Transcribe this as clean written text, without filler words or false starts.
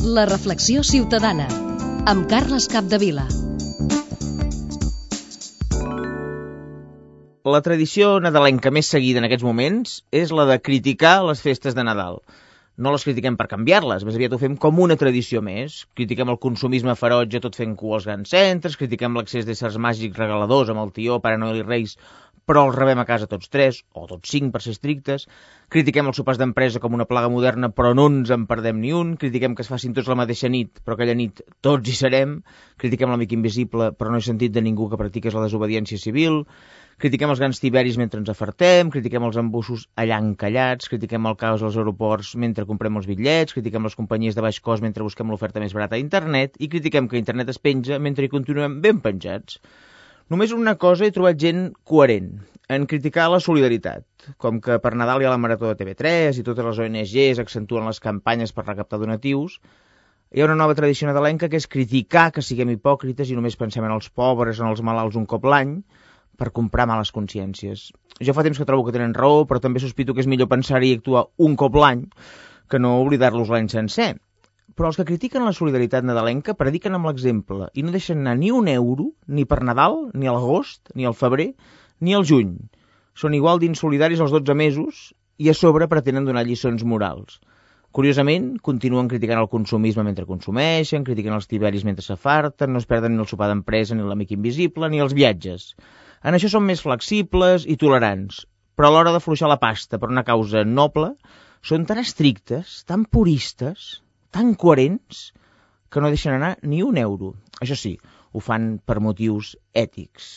La reflexió ciutadana, amb Carles Capdevila. La tradició nadalenca més seguida en aquests moments és la de criticar les festes de Nadal. No les critiquem per canviar-les, més aviat ho fem com una tradició més. Critiquem el consumisme ferotge tot fent cua als grans centres, critiquem l'accés d'éssers màgics regaladors amb el tió, Pare Noel i Reis, però els rebem a casa tots 3, o tots 5 per ser estrictes. Critiquem els sopars d'empresa com una plaga moderna, però no ens en perdem ni un. Critiquem que es facin tots la mateixa nit, però aquella nit tots hi serem. Critiquem l'amic invisible, però no he sentit de ningú que practiqués la desobediència civil. Critiquem els grans tiberis mentre ens afartem, critiquem els embussos allà encallats, critiquem el caos als aeroports mentre comprem els bitllets, critiquem les companyies de baix cost mentre busquem l'oferta més barata a internet i critiquem que internet es penja mentre hi continuem ben penjats. Només una cosa he trobat gent coherent, en criticar la solidaritat, com que per Nadal hi ha la Marató de TV3 i totes les ONGs accentuen les campanyes per recaptar donatius. Hi ha una nova tradició nadalenca que és criticar que siguem hipòcrites i només pensem en els pobres, en els malalts un cop l'any, per comprar males consciències. Jo fa temps que trobo que tenen raó, però també sospito que és millor pensar-hi i actuar un cop l'any que no oblidar-los l'any sencer. Però els que critiquen la solidaritat nadalenca prediquen amb l'exemple i no deixen anar ni un euro, ni per Nadal, ni a l'agost, ni al febrer, ni al juny. Són igual d'insolidaris els 12 mesos i a sobre pretenen donar lliçons morals. Curiosament, continuen criticant el consumisme mentre consumeixen, critiquen els tiberis mentre s'afarten, no es perden ni el sopar d'empresa, ni l'amic invisible, ni els viatges. En això són més flexibles i tolerants, però a l'hora d'afluixar la pasta per una causa noble, són tan estrictes, tan puristes, tan coherents, que no deixen anar ni un euro. Això sí, ho fan per motius ètics.